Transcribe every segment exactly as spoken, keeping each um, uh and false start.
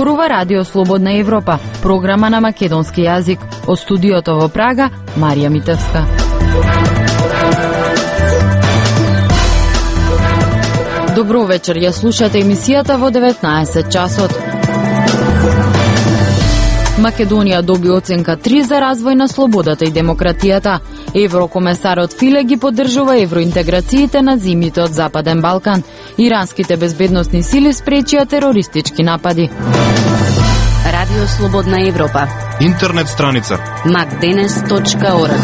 зборува Радио Слободна Европа, програма на македонски јазик. Од студиото во Прага, Марија Митевска. Добро вечер, ја слушате емисијата во деветнаесет часот. Македонија доби оценка три за развој на слободата и демократијата. Еврокомесарот Филе ги поддржува евроинтеграциите на земјите од Западен Балкан. Иранските безбедносни сили спречија терористички напади. Радио Слободна Европа. Интернет страница макденес точка орг.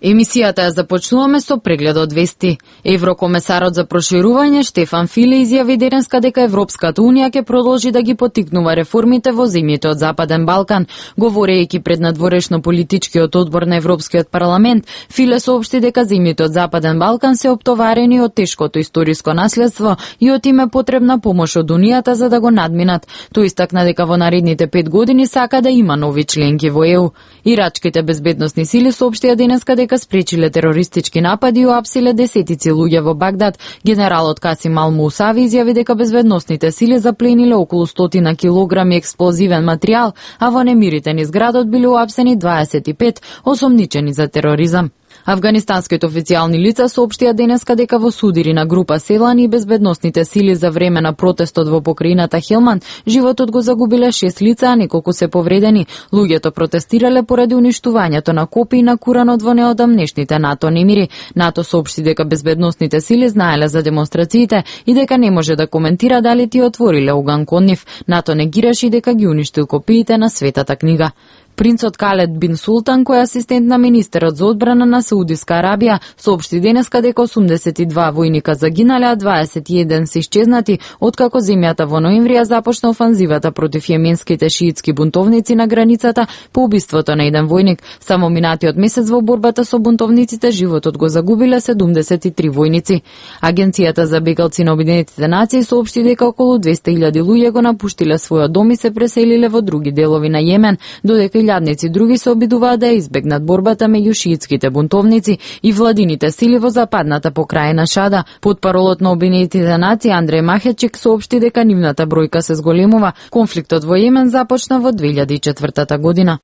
Емисијата ја започнуваме со преглед од вести. Еврокомесарот за проширување Штефан Филе изјави денеска дека Европската унија ќе продолжи да ги поттикнува реформите во земјите од Западен Балкан. Говорејќи пред надворешно политичкиот одбор на Европскиот парламент, Филе соопшти дека земјите од Западен Балкан се оптоварени од тешкото историско наследство и од им е потребна помош од Унијата за да го надминат. Тој истакна дека во наредните пет години сака да има нови членки во ЕУ. Ирачките безбедносни сили соопштија денеска дека спречиле терористички напади и уапсиле десетици луѓе во Багдад. Генералот Касим Ал Мусави изјави дека безбедносните сили заплениле околу стотина килограми експлозивен материјал, а во немирите низ градот биле уапсени дваесет и пет осомничени за тероризам. Афганистанските официјални лица соопштија денеска дека во судири на група селани и безбедносните сили за време на протестот во покрајината Хелманд животот го загубиле шест лица, а неколку се повредени. Луѓето протестирале поради уништувањето на копии на Куранот во неодамнешните НАТО немири. НАТО соопшти дека безбедносните сили знаеле за демонстрациите и дека не може да коментира дали ти отвориле оган кон нив. НАТО негираше дека ги уништил копиите на Светата книга. Принцот Калед бин Султан, кој е асистент на министерот за одбрана на Саудиска Арабија, соопшти денеска дека осумдесет и два војника загинале, а дваесет и еден се исчезнати, откако земјата во ноември ја започна офанзивата против јеменските шиитски бунтовници на границата по убиството на еден војник. Само минатиот месец во борбата со бунтовниците животот го загубиле седумдесет и три војници. Агенцијата за бегалци на Обединетите нации соопшти дека околу двесте илјади луѓе го напуштиле својот дом и се преселиле во други делови на Јемен, додека илјадници други се обидуваат да избегнат борбата меѓу шиитските бунтовници и владините сили во западната покрајна Шада. Потпаролот на Обединетите нации Андреј Махечик соопшти дека нивната бројка се зголемува. Конфликтот во Јемен започна во две илјади и четвртата година.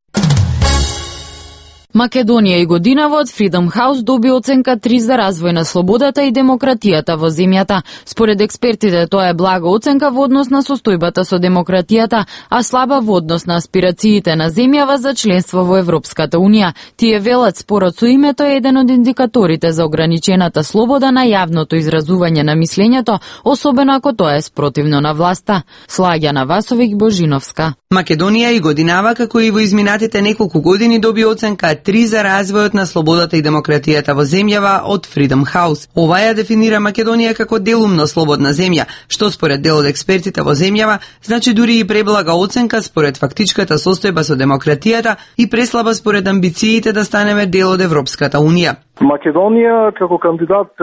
Македонија и годинава од Freedom House доби оценка три за развој на слободата и демократијата во земјата. Според експертите, тоа е блага оценка во однос на состојбата со демократијата, а слаба во однос на аспирациите на земјава за членство во Европската унија. Тие велат спорот со името е еден од индикаторите за ограничената слобода на јавното изразување на мислењето, особено ако тоа е спротивно на власта. Слагјана Васовик Божиновска. Македонија и годинава, како и во изминатите неколку години, доби оценка три за развојот на слободата и демократијата во земјава од Freedom House. Ова ја дефинира Македонија како делумно слободна земја, што според дел од експертите во земјава значи дури и преблага оценка според фактичката состојба со демократијата и преслаба според амбициите да станеме дел од Европската унија. Македонија како кандидат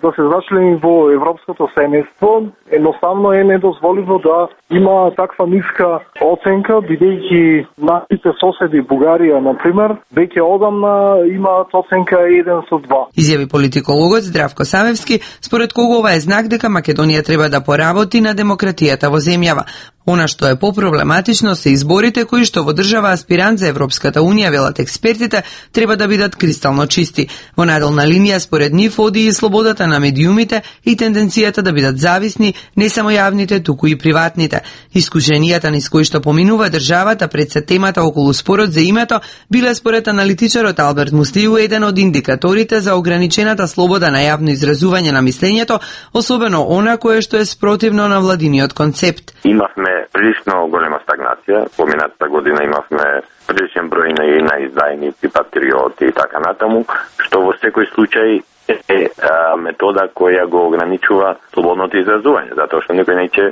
да се зачлени во европското семејство едноставно е недозволиво да има таква ниска оценка, бидејќи нашите соседи Бугарија, например, веќе одамна имаат оценка еден со два. Изјави политикологот Здравко Савевски, според кого ова е знак дека Македонија треба да поработи на демократијата во земјава. Она што е попроблематично се изборите кои што во држава аспирант за Европската унија, велат експертите, треба да бидат кристално чисти. Во наделна линија според нив оди и слободата на медиумите и тенденцијата да бидат зависни не само јавните, туку и приватните. Искушенијата низ кои што поминува државата пред се темата околу спорот за името биле според аналитичарот Алберт Муслиу еден од индикаторите за ограничената слобода на јавно изразување на мислењето, особено она кое што е спротивно на владиниот концепт. Имавме прилично голема стагнација. Поминатата година имавме приличен број на, на издајници, патриоти и така натаму, што во секој случај е а, метода која го ограничува слободното изразување, затоа што некој неќе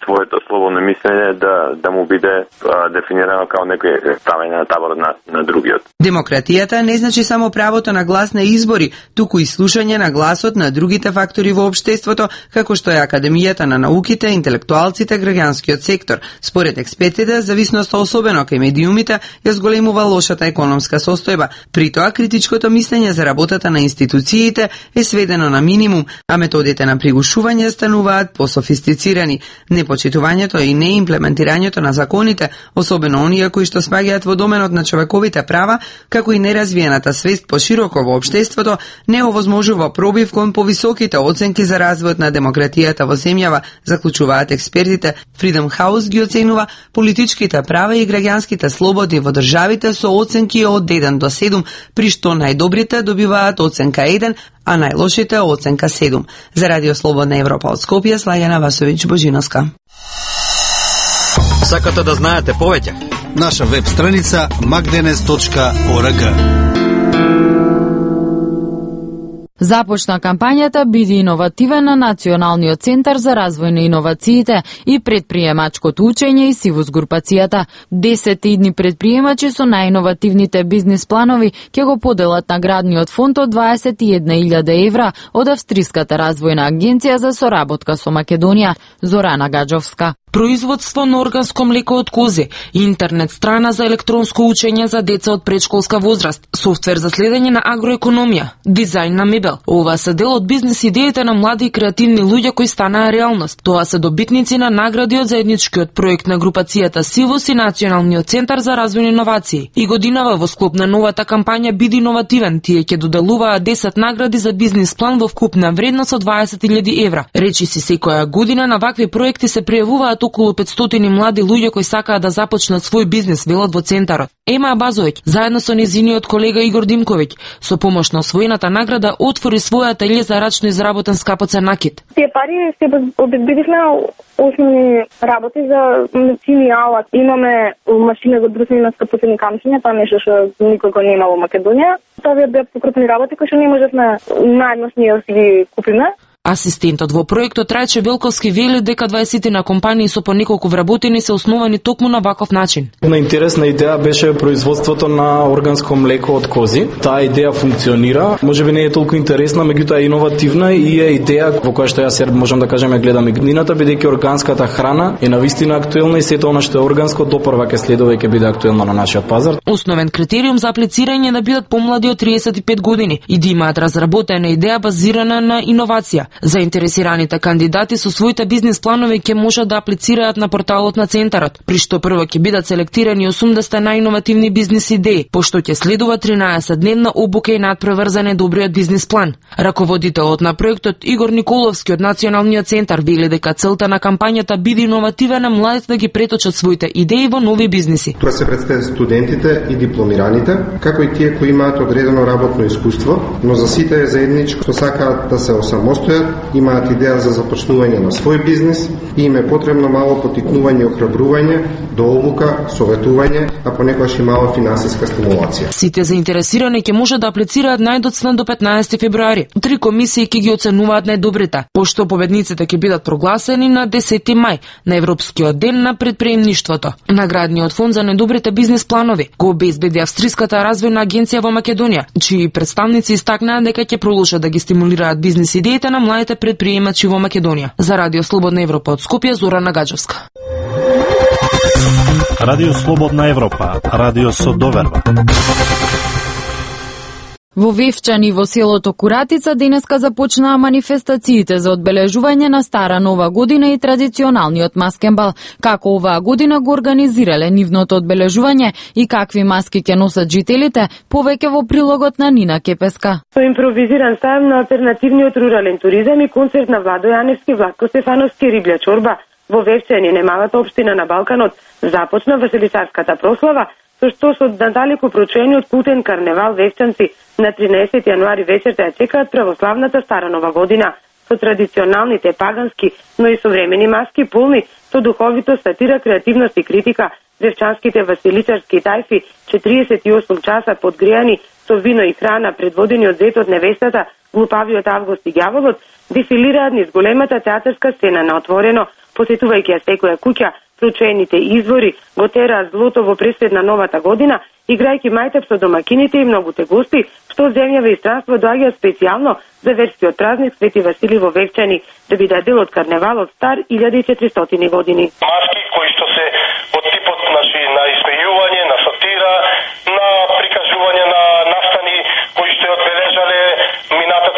своето слободно мислење да да му биде а, дефинирано како некој ставење на табор на, на другиот. Демократијата не значи само правото на глас на избори, туку и слушање на гласот на другите фактори во општеството, како што е академијата на науките, интелектуалците, граѓанскиот сектор. Според експертите, зависноста особено кај медиумите ја зголемува лошата економска состојба. При тоа критичкото мислење за работата на институции емисиите е сведено на минимум, а методите на пригушување стануваат пософистицирани. Непочитувањето и неимплементирањето на законите, особено оние кои што спаѓаат во доменот на човековите права, како и неразвиената свест пошироко во општеството, не овозможува пробив кон повисоките оценки за развојот на демократијата во земјава, заклучуваат експертите. Freedom House ги оценува политичките права и граѓанските слободи во државите со оценки од еден до седум, при што најдобрите добиваат оценка еден, а најлошите оценка седум. За Радио Слободна Европа од Скопје, Слаѓана Васовиќ Божиновска. Сакате да знаете повеќе? Наша веб страница magdenes точка org. Започна кампањата Биди иновативен на Националниот центар за развој на иновациите и предприемачкото учење и Сивус групацијата. десет идни предприемачи со најиновативните бизнис планови ќе го поделат наградниот фонд од дваесет и една илјада евра од Австриската развојна агенција за соработка со Македонија. Зорана Гаджовска. Производство на органско млеко од кози, интернет страна за електронско учење за деца од предшколска возраст, софтвер за следење на агроекономија, дизајн на мебел. Ова се дел од бизнис идеите на млади и креативни луѓе кои станаа реалност. Тоа се добитници на награди од заедничкиот проект на групацијата Сивус и Националниот центар за развојни иновации. И годинава во склоп на новата кампања Биди иновативен, тие ќе доделуваат десет награди за бизнис план во вкупна вредност од дваесет илјади евра. Речи си, секоја година на вакви проекти се пријавуваат околу петстотини млади луѓе кои сакаат да започнат свој бизнис, велат во центарот. Ема Абазовиќ, заедно со незиниот колега Игор Димковиќ, со помош на освоената награда, отвори своја ателје за рачно изработен скапоцен накид. Тие пари се обезбедивме основни работи за медицини алат. Имаме машина за брусење на скапоцени камчиња, тоа нешто што никој го нема во Македонија. Тоа беа покрупни работи кои што не можевме наједношни да си ги купиме. Асистентот во проектот Рајче Белковски вели дека дваесет на компании со по неколку вработени се основани токму на ваков начин. Една интересна идеја беше производството на органско млеко од кози. Таа идеја функционира, можеби не е толку интересна, меѓутоа е иновативна и е идеја во која што јас можам да кажам ја гледам и годината, бидејќи органската храна е навистина актуелна и сето она што е органско допрва ќе следува и ќе биде актуелно на нашиот пазар. Основен критериум за аплицирање е да бидат помлади од триесет и пет години и да имаат разработена идеја базирана на иновација. Заинтересираните кандидати со своите бизнис планови ќе можат да аплицираат на порталот на центарот, при што прво ќе бидат селектирани осумдесет најиновативни бизнис идеи, пошто ќе следува тринаесет дневна обука и надпреврзане добриот бизнис план. Раководителот на проектот Игор Николовски од Националниот центар вели дека целта на кампањата Биди иновативен на младите да ги преточат своите идеи во нови бизниси. Тоа се представуваат студентите и дипломираните, како и тие кои имаат одредено работно искуство, но за сите е заедничко што сакаат да се осамостојат, имаат идеја за започнување на свој бизнис и им е потребно мало поттикнување и охрабрување, до обука, советување, а понекогаш и мала финансиска стимулација. Сите заинтересирани ќе може да аплицираат најдоцна до петнаесети февруари. Три комисии ќе ги оценуваат најдобрите, пошто победниците ќе бидат прогласени на десети мај, на Европскиот ден на предприемништвото. Наградниот фонд за најдобрите бизнис планови го обезбеди Австриската развојна агенција во Македонија, чии представници истакнаа дека ќе продолжат да ги стимулираат бизнис идеите на младите предприемачи во Македонија. За Радио Слободна Европа од Скопје, Зорана Гаджовска. Радио Слободна Европа, радио со доверба. Во Вевчани во селото Куратица денеска започнаа манифестациите за одбележување на Стара Нова година и традиционалниот маскенбал. Како оваа година го организирале нивното одбележување и какви маски ќе носат жителите, повеќе во прилогот на Нина Кепеска. Со импровизиран сајм на алтернативниот рурален туризам и концерт на Владо Јаневски, Владко Стефановски, Риблја чорба во Вевчани, немалата општина на Балканот, започна веселисарската прослава, со што со надалеку проучениот култен карневал вевчанци на тринаесети јануари вечерта ја чекаат православната Стара Нова година со традиционалните пагански, но и современи маски полни со духовито, сатира, креативност и критика. Вевчанските василичарски тајфи четириесет и осум часа подгреани со вино и храна, предводени од зетот невестата, глупавиот Август и ѓаволот, дефилираат низ големата театарска сцена на отворено, посетувајќи ја секоја куќа. Проучените извори го тераат злото во пресед на новата година, играјќи мајтап со домакините и многуте гости, што од земјава и странство доаѓаат специјално за верскиот празник Свети Васили во Вевчани, да биде дел од карневалот стар илјада и четиристотини години. Маски кои што се од типот значи, на исмејување, на сатира, на прикажување на настани кои што одбележале минатата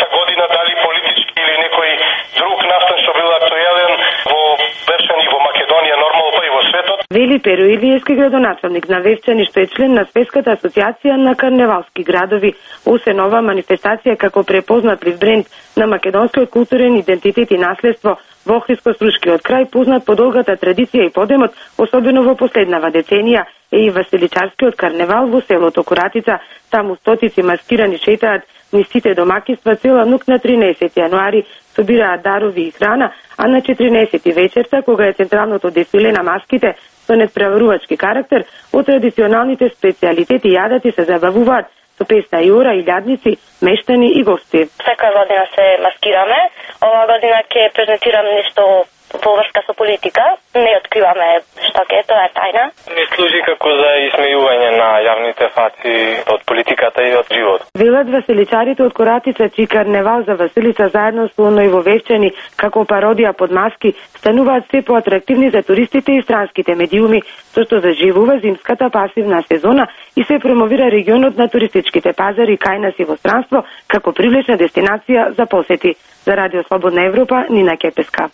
Вели Перо Илиевски, градоначалник на Вевчани, што е член на Светската асоциација на карневалски градови. Освен ова манифестација како препознатлив бренд на македонскиот културен идентитет и наследство во Охридско-Струшкиот крај, познат по долгата традиција и подемот, особено во последнава деценија, е и Василичарскиот карневал во селото Коратица. Таму стотици маскирани шетаат низ сите домаќинства цела нук на тринаесети јануари, собираат дарови и храна, а на четиринаесети вечерта, кога е централното дефиле на маските со недпреварувачки карактер, од традиционалните специјалитети јадати се забавуваат со песна и ора, илјадници, мештани и гости. Секоја година се маскираме. Ова година ќе презентирам нешто во врска со политика. Не откриваме што ќе, тоа е тајна. Не служи како за исмејување на јавните фаци од политиката и од живот. Велат веселичарите од Коратица, чиј карневал за Василица заедно со оној во Вевчани како пародија под маски стануваат се поатрактивни за туристите и странските медиуми, со што заживува зимската пасивна сезона и се промовира регионот на туристичките пазари кај нас и во странство како привлечна дестинација за посети. За Радио Слободна Европа, Нина Кепеска.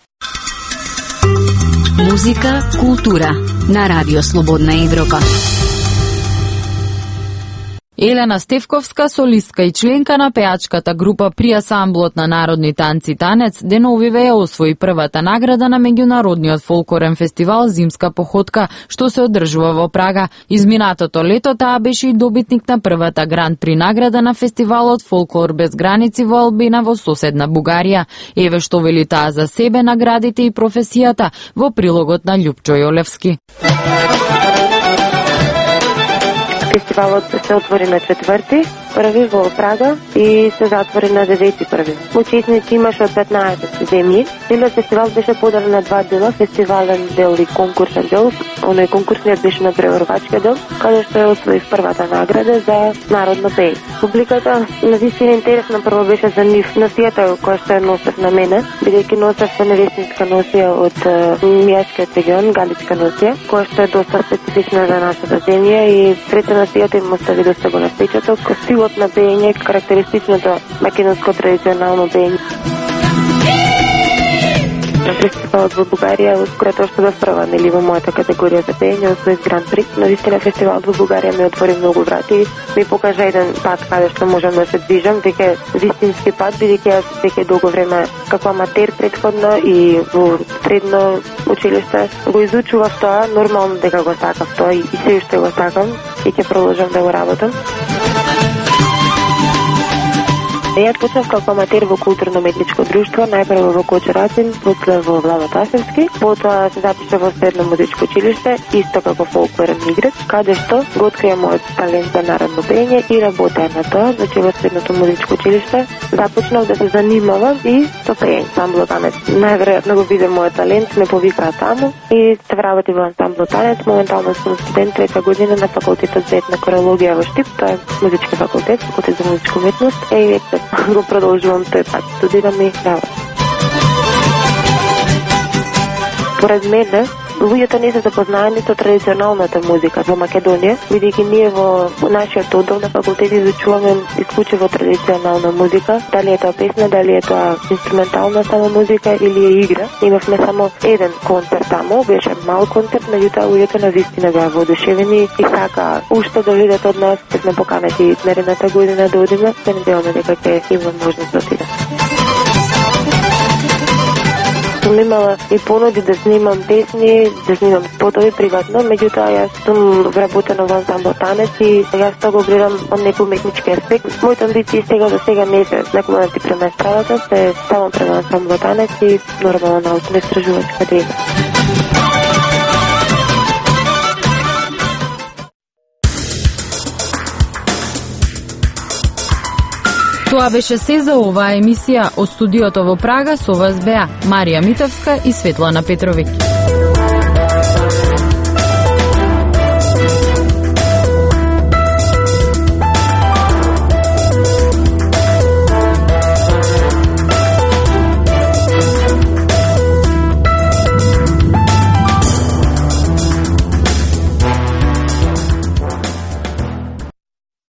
Музика, култура на Радио Слободна Европа. Елена Стевковска, солистка и членка на пеачката група при асамблот на народни танци Танец, деновиве ја освои првата награда на меѓународниот фолклорен фестивал Зимска походка, што се одржува во Прага. Изминатото лето таа беше и добитник на првата гранд при награда на фестивалот Фолклор без граници во Албина во соседна Бугарија. Еве што вели таа за себе, наградите и професијата во прилогот на Љупчо Јолевски. Фестивалот се отвори на четврти први во Прага и се затвори на девети први. Учесници имаше од петнаесет земји. Целиот фестивал беше поделен на два дела, фестивален дел и конкурсен дел. Оној конкурсниот беше на преварувачки дел, каде што ја освои првата награда за народно пеење. Публиката на вистина интересна прво беше за нив носијата која што ја носев на мене, бидејќи носев невестинска носија од Мијашкиот регион, галичка носија, која што е доста специфична за нашата земја и пред носијата им остави доста голем впечаток. Стилот на пеење, карактеристичното македонско традиционално пеење. На фестивалот во Бугарија, ускоро тоа што бев прва, нели, во мојата категорија за пеење, освоив Гран При. Но вистина фестивалот во Бугарија ми отвори многу врати, ми покажа еден пат каде што можам да се движам, дека вистински пат, бидејќи јас веќе долго време како аматер претходно и во средно училиште го изучував тоа, нормално дека го сакав тоа и се уште го сакам и ќе продолжам да го работам. Јас почнав како аматер во културно-метничко друштво, најпрво во Кочурацин, после во Влава Тасевски, потоа се запишав во средно музичко училиште, исто како фолклорен играч, каде што го открија мојот талент за народно пеење и работеа на тоа, значи во средното музичко училиште започнав да се занимавам и со пеење, ансамбло Танец. Најверојатно го виде мојот талент, ме повикаа таму и се вработи во ансамбло Танец. Моментално сум студент трета година на факултетот за етна корологија во Штип, тоа е музички факултет, факултет за музичка уметност, и веќе го продолжувам тој пат, студирам и работам. Поред мене, луѓето не се запознаени со традиционалната музика во Македонија, бидејќи ние во нашиот оддел на факултет изучуваме исклучиво традиционална музика, дали е тоа песна, дали е тоа инструментална само музика или е игра. Имавме само еден концерт таму, беше мал концерт, меѓутоа луѓето на вистина беа воодушевени и сака уште да видат од нас, ќе сме поканети наредната година да одиме, се надеваме дека ќе имам можност да отидам. Сум имала и понуди да снимам песни, да снимам спотови приватно, меѓутоа јас сум вработена во ансамбл Танец и јас тоа го гледам од некој уметнички аспект. Моите амбиции сега до сега не се некој да ти према стравата, се ставам према ансамбл Танец и нормално научна истражувачка дейност. Тоа беше се за оваа емисија од студиото во Прага, со вас беа Марија Митовска и Светлана Петровиќ.